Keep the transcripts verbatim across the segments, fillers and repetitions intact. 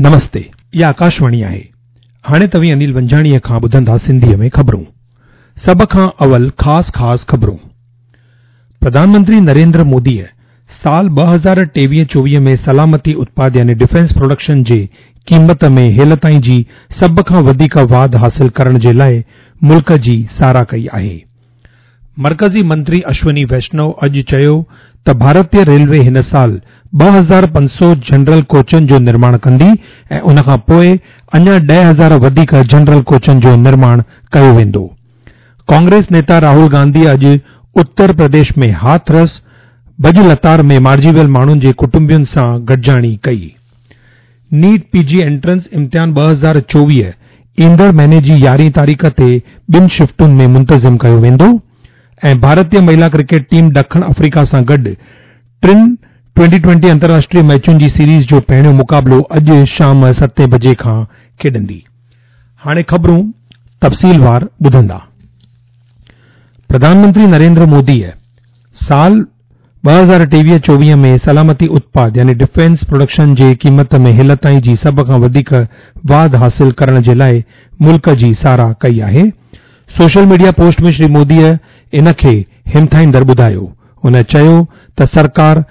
نمستي، اها آڪاشواڻي آهي. هاڻي توهين انيل ونجاڻيء کان ٻڌندا سنڌيء ۾ خبرون. سڀ کان اول خاص خاص خبرون. پرڌان منتري نريندر موديء سال ٻه هزار ٽيويهه چوويهه ۾ سلامتي اتپاد يعني ڊفينس پروڊڪشن جي قيمت ۾ هيل تائين جي سڀ کان وڌيڪ واڌ حاصل ڪرڻ جي لاء ملڪ جي ساراهه ڪئي آهي. مرڪزي منتري اشوني ويشنو اڄ چيو ته ڀارتي ريلوي هن سال ٻه هزار پنج سؤ جنرل ڪوچن جو نرماڻ ڪندي ۽ ان کان پوءِ اڃا ڏهه هزار وڌيڪ جنرل ڪوچن جو نرماڻ ڪيو ويندو. ڪانگريس نيتا راهول گانڌي اڄ اتر پرديش ۾ هاٿرس ڀڄ لتاڙ ۾ مارجي ويل ماڻهن جي ڪٽنبن سان گڏجاڻي ڪئي. نيٽ پي جي انٽرنس امتحان ٻه هزار چوويهه ايندڙ مهيني جي يارهين تاريخ تي ٻن شفٽن ۾ منتظم ڪيو ويندو ۽ ڀارتي مهلا ڪرڪيٽ ٽيم ڏکڻ آفريڪا سان گڏ ٽن ٽوئنٽي ٽوئنٽي انترراشٽريه ميچن جي سيريز جو پهريون مقابلو اڄ شام ستين بجي کان کيڏندي. هاڻي خبرون تفصيلوار ٻڌندا. پرڌان منتري نريندر موديء سال ٻه هزار ٽيويهه چوويهه ۾ سلامتي اتپاد يعني ڊفينس پروڊڪشن جي قيمت ۾ هيل تائين جي سڀ کان وڌيڪ واڌ حاصل ڪرڻ جي لاءِ ملڪ جي ساراهه ڪئي آهي. سوشل ميڊيا پوسٽ ۾ شري موديء ان کي همٿائيندڙ ٻڌايو. هن چيو ته سرڪار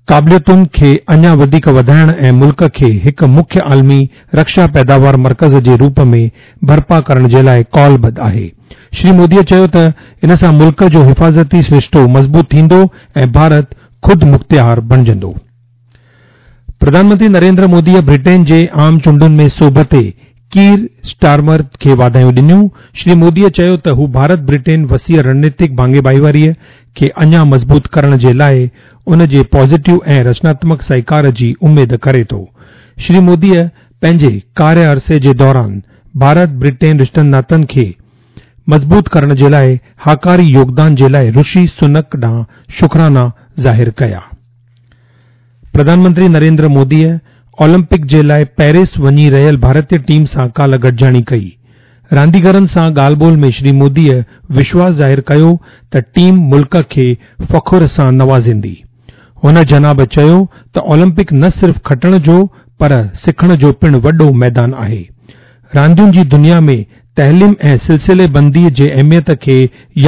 قابليتن کي اڃا وڌيڪ وڌائڻ ۽ ملڪ کي هڪ مکيه عالمي رڪشا پيداوار مرڪز جي روپ ۾ برپا ڪرڻ جي لاءِ ڪالبڌ آهي. شري موديء چيو ته ان سان ملڪ جو حفاظتي سرشتو مضبوط ٿيندو ۽ ڀارت خود مختيار بڻجندو. پرڌان منتري نريندر موديء برٽين جي عام چونڊن ۾ سوڀ تي ڪير اسٽارمر کي واڌايون ڏنيون. شري موديء چيو ته هو ڀارت برٽين وسيع رڻنيتڪ ڀاڱي ڀائيواريء کي اڃا مضبوط ڪرڻ جي لاءِ ان جي پازيٽو ۽ رچناتمڪ سهڪار جي اميد ڪري ٿو. شري موديء پنهنجي ڪاريه عرصي جي دوران ڀارت برٽين رشتن ناتن کي مضبوط ڪرڻ جي لاءِ هاڪاري يوگدان جي لاءِ رشي سنڪ ڏانهن شڪرانا ظاهر ڪيا. پرڌان منتري نريندر موديء اولمپڪ جي لاءِ پيرس وڃي رهيل ڀارتي ٽيم سان ڪالهه گڏجاڻي ڪئي. رانديگرن سان ڳالهه ٻولهه ۾ شري موديء وشواس ظاهر ڪيو ته ٽيم ملڪ کي فخر سان نوازيندي. هن جناب چيو ته اولمپڪ نه صرف کٽڻ جو پر سکڻ جو پڻ وڏو ميدان آهي. راندين جي دنيا ۾ تعليم ۽ سلسلي بنديءَ جي اهميت کي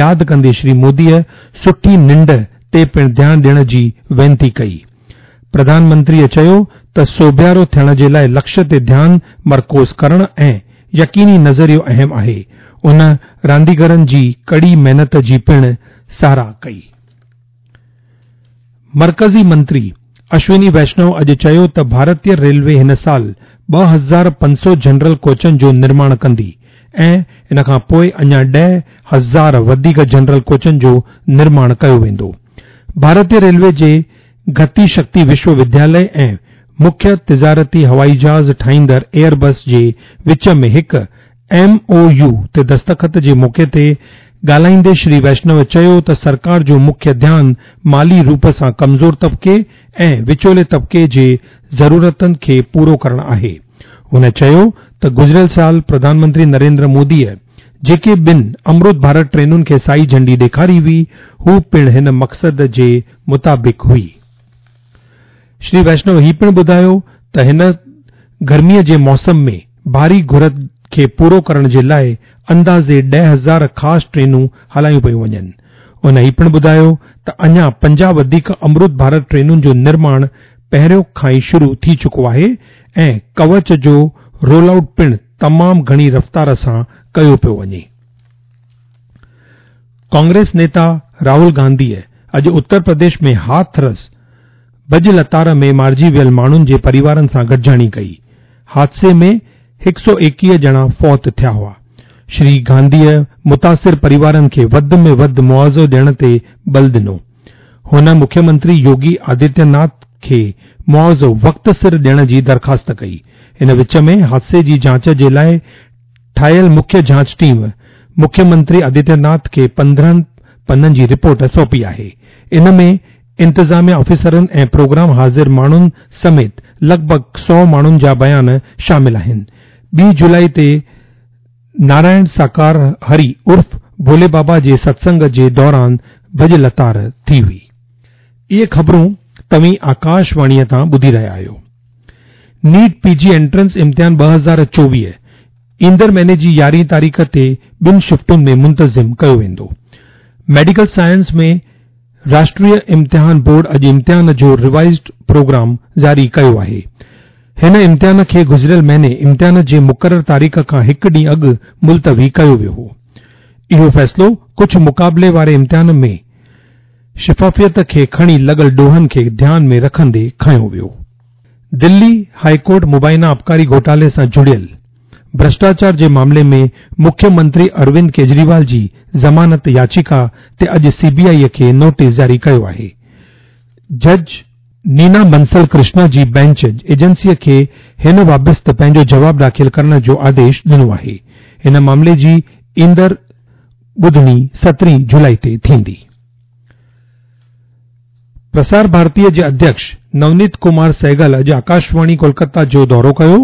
ياد ڪندي شري موديء سٺي ننڊ تي پڻ ڌيان ڏيڻ جي وينتي ڪئي. پرڌان منتريءَ چيو ته سوڀيارو ٿيڻ جي لاءِ لڪشيه تي ڌيان مرڪوز ڪرڻ ۽ يقيني نظريو اهم آهي. ان رانديگرن جي ڪڙي محنت جي پڻ ساراهه ڪئي. مرڪزي منتري اشوني ويشنو اڄ چيو ته ڀارتي ريلوي هن سال ٻه هزار پنج سؤ جنرل ڪوچن جو نرماڻ ڪندي ۽ ان کان پوءِ اڃا ڏهه هزار وڌيڪ جنرل ڪوچن جو نرماڻ ڪيو ويندو. ڀارتي ريلوي جي گتي شڪتي وشو ودياليه ۽ مکيه تجارتي هوائي جهاز ٺاهيندڙ ايئربس جي وچ ۾ هڪ ايم او يو تي دستخط جي موقعي تي ڳالهائيندي شري ويشنو چيو ته سرڪار جو مکيه ڌيان مالي روپ سان ڪمزور طبقي ۽ وچولي طبقي جي ضرورتن کي پورو ڪرڻ آهي. هن چيو ته گذريل سال پرڌان منتري نريندر موديء جيڪي ٻن امرت ڀارت ٽرينن کي سائي جهنڊي ڏيکاري هئي، هو پڻ هن مقصد جي مطابق هئي. شري ويشنو هي پڻ ٻڌايو ته هن گرميءَ جي موسم ۾ ڀاري گهر کي پورو ڪرڻ جي لاءِ اندازي ڏهه هزار خاص ٽرينون هلايون پيون وڃن. هن هي پڻ ٻڌايو ته اڃا پنجاهه وڌيڪ امرت ڀارت ٽرينن جو نرماڻ پهريون کان ئي شروع ٿي چڪو آهي ۽ ڪوچ جو رول آئوٽ پڻ تمام گهڻي رفتار سان ڪيو پيو وڃي. ڪانگريس نيتا راهول گانڌيءَ اڄ اتر پرديش ۾ هاٿرس ڀڄ لتاڙ ۾ مارجي ويل ماڻهن جي پريوارن سان گڏجاڻي ڪئي. حادثي ۾ هڪ سؤ ايڪويهه ڄڻا فوت ٿيا هئا. شري گانڌيءَ متاثر پريوارن کي وڌ ۾ وڌ معاوضو ڏيڻ تي بل ڏنو. هن مکيه منتري يوگي آدتيه ناٿ کي معاوضو وقت سر ڏيڻ جي درخواست ڪئي. ان وچ ۾ حادثي جي جاچ جي لاءِ ٺاهيل مکيه جاچ ٽيم مکيه منتري آدتيه ناٿ کي پندرهن پنن جي رپورٽ سونپي آهي. ان ۾ انتظاميه آفيسرن ۽ پروگرام حاضر ماڻهن سميت لڳ ڀڳ سؤ ماڻهن جا بيان شامل آهن. ٻي جولاءِ تي نارائڻ ساڪار هري عرف ڀولي بابا جي ستسنگ جي دوران ڀڄ لتاڙ ٿي هئي. اهي خبرون توهين آڪاشواڻيءَ تان ٻڌي رهيا آهيو. نيٽ پي جي انٽرنس امتحان ٻه هزار چوويهه ايندڙ مهيني جي يارهين تاريخ تي ٻن شفٽن ۾ منتظم ڪيو ويندو. ميڊيڪل سائنس ۾ راشٽريه امتحان بورڊ اڄ امتحان جو ريوائزڊ پروگرام جاري ڪيو آهي. هن امتحان کي گذريل مهيني امتحان جي مقرر تاريخ کان هڪ ڏينهن اڳ ملتوي ڪيو ويو هو. اهو فيصلو ڪجهه مقابلي واري امتحان ۾ شفافيت کي کڻي لڳل ڏوهن کي ڌيان ۾ رکندي کنيو ويو. دلي هاء ڪورٽ مبينا آبڪاري گهوٽالي سان جڙيل ڀرشٽاچار جي معاملي ۾ مکيه منتري اروند ڪيجريوال جي ضمانت ياچيڪا تي اڄ سي بي آء کي نوٽيس جاري ڪيو آهي. جج نينا بنسل ڪرشنا جي بينچ ايجنسي کي هن بابت پنهنجو جواب داخل ڪرڻ جو آديش ڏنو آهي. هن معاملي جي ايندڙ ٻڌڻي سترهين جولاء تي ٿيندي. پرسار ڀارتي جي اڌيڪش نونيت ڪمار سهگل اڄ آڪاشواڻي ڪولڪتا جو دورو ڪيو.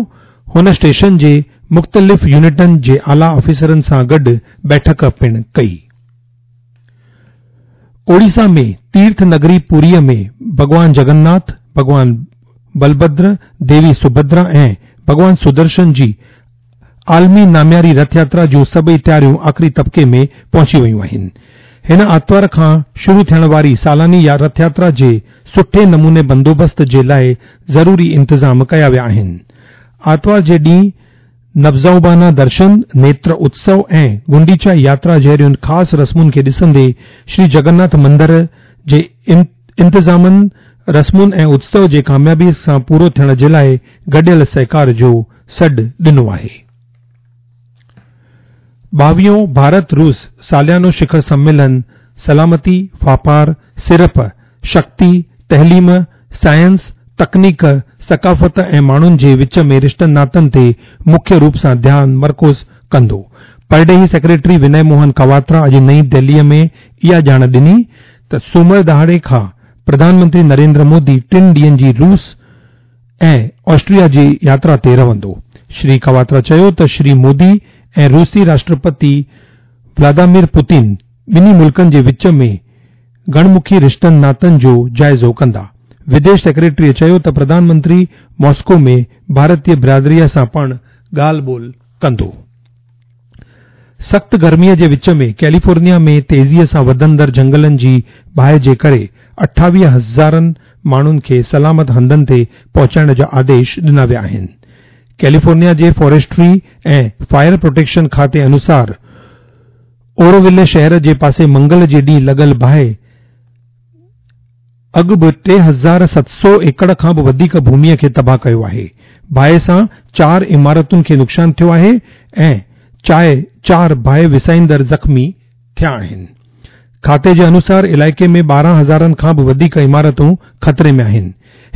هن اسٽيشن جي مختلف يونٽن جي اعليٰ آفيسرن سان گڏ بيٺڪ پڻ ڪئي. اوڙيسا ۾ تيرٿ نگري پوريء ۾ ڀڳوان جگناٿ، ڀڳوان بلڀدر، ديوي سڀدرا ۽ ڀڳوان سدرشن جي عالمي نامياري رٿ ياترا جون سڀئي تياريون آخري طبقي ۾ پهچي ويون آهن. هن آتوار کان شروع ٿيڻ واري سالاني رٿ ياترا جي سٺي نموني بندوبست جي لاء ضروري انتظام ڪيا ويا آهن. آتوار جي ڏينهن نبزوبانا درشن، نيتر اتسو ۽ گنڊيچا ياترا جهڙين خاص رسمن کي ڏسندي شري جگناٿ مندر جي انتظامن، رسمن ۽ اتسو جي ڪاميابي سان پورو ٿيڻ جي لاء گڏيل سهڪار جو سڏ ڏنو آهي. ٻاويهون ڀارت روس ساليانو شکر سميلن سلامتي، واپار، سيڙپ، شڪتي، تعليم، سائنس، تڪنيڪ، ثقافت ۽ ماڻهن جي وچ ۾ رشتن ناتن تي مکيه روپ سان ڌيان مرڪوز ڪندو. پرڏيهي سيڪريٽري وني موهن ڪواترا اڄ نئين دهليء ۾ اها ڄاڻ ڏني ته سومر ڏهاڙي کان پرڌان منتري نريندر مودي ٽن ڏينهن جي روس ۽ آسٽريا جي ياترا تي رهندو. شري ڪواترا چيو ته شري مودي ۽ روسي راشٽرپتي ولاديمير پوتين ٻنهي ملڪن جي وچ ۾ گهڻمکي رشتن ناتن جو جائزو ڪندا. وديش سيڪريٽريء چيو ته پرڌان منتري ماسڪو ۾ ڀارتيه برادريء سان پڻ ڳالهه ٻولهه ڪندو. سخت گرميء جي وچ ۾ ڪيليفورنيا ۾ تيزيء سان وڌندڙ جهنگلن جي باهه جي ڪري اٺاويهه هزارن ماڻهن کي سلامت هنڌن تي پهچائڻ جا آديش ڏنا ويا آهن. ڪيليفورنيا جي فاريسٽري ۽ فائر پروٽيڪشن کاتي انوسار اوروولي شهر جي پاسي منگل جي ڏينهن لڳل باهه اڳ به ٽي هزار ست سؤ ايڪڙ کان به وڌيڪ ڀوميء کي تباهه ڪيو آهي. باهه سان چار عمارتن کي نقصان ٿيو آهي ۽ چار باهه وسائيندڙ زخمي ٿيا آهن. کاتي جي انوسار علائقي ۾ ٻارهن هزارن کان به وڌيڪ عمارتون خطري ۾ آهن.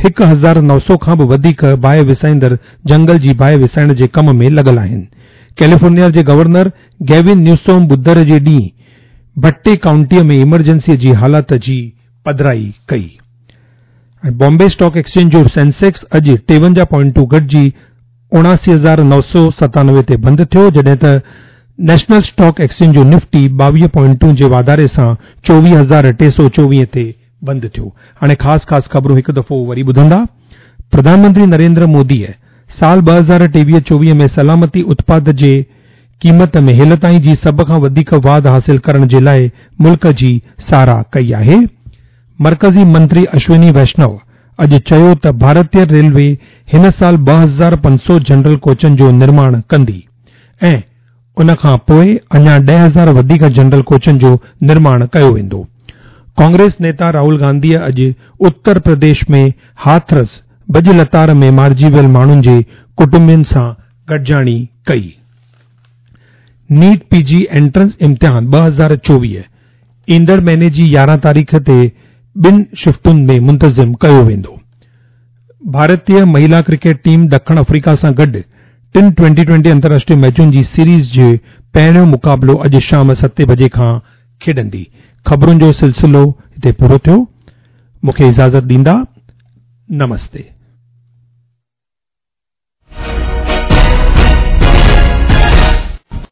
هڪ هزار نو سؤ کان به وڌيڪ باهه وسائيندڙ جهنگل جي باهه وسائڻ جي ڪم ۾ لڳل آهن. ڪيليفورنيا جي گورنر گيوين نيوسوم ٻڌر جي ڏينهن بٽي ڪائونٽيء ۾ ايمرجنسي جي حالت جي پڌرائي ڪئي. ۽ بامبي اسٽاڪ ايڪسچينج جو سينسيڪس اڄ ٽيونجاهه پوائنٽون گهٽجي اڻاسي هزار نو سؤ ستانوي تي بند ٿيو، جڏهن ته نيشنل اسٽاڪ ايڪسچينج جو نفٽي ٻاويهه پوائنٽون جي واڌاري سان چوويهه هزار ٽي سؤ چوويهه تي بند ٿيو. هاڻي خاص خاص خبرون هڪ دفعو وري ٻڌندا. پرڌان منتري نريندر موديء سال ٻه هزار ٽيويهه چوويهه ۾ سلامتي اتپاد جي قيمت ۾ هيل تائين جي سڀ کان وڌيڪ واڌ حاصل ڪرڻ جي لاء ملڪ جي ساراهه ڪئي آهي. مرڪزي منتري اشوني ويشنو اڄ چيو ته ڀارتيه ريلوي هن سال ٻه هزار پنج سؤ جنرل ڪوچن جو نرماڻ ڪندي ۽ ان کان پوء اڃا ڏهه هزار وڌيڪ جنرل ڪوچن جو نرماڻ ڪيو ويندو. ڪانگريس نيتا راهول گانڌيء اڄ اتر پرديش ۾ هاٿرس ڀڄ لتاڙ ۾ مارجي ويل ماڻهن جي ڪٽنبن سان گڏجاڻي ڪئي. نيٽ پي جي انٽرنس امتحان ٻه هزار چوويهه ايندڙ مهيني جي يارهن تاريخ تي ٻن شفٽن ۾ منتظم ڪيو ويندو. ڀارتيه مهيلا ڪرڪيٽ ٽيم ڏکڻ آفريڪا سان گڏ ٽن ٽوئنٽي ٽوئنٽي انترراشٽريه ميچن جي سيريز جو پهريون مقابلو اڄ شام ستين بجي کان کيڏندي. خبرن جو سلسلو هتي پورو ٿيو. مون کي اجازت ڏيندا. نمستي.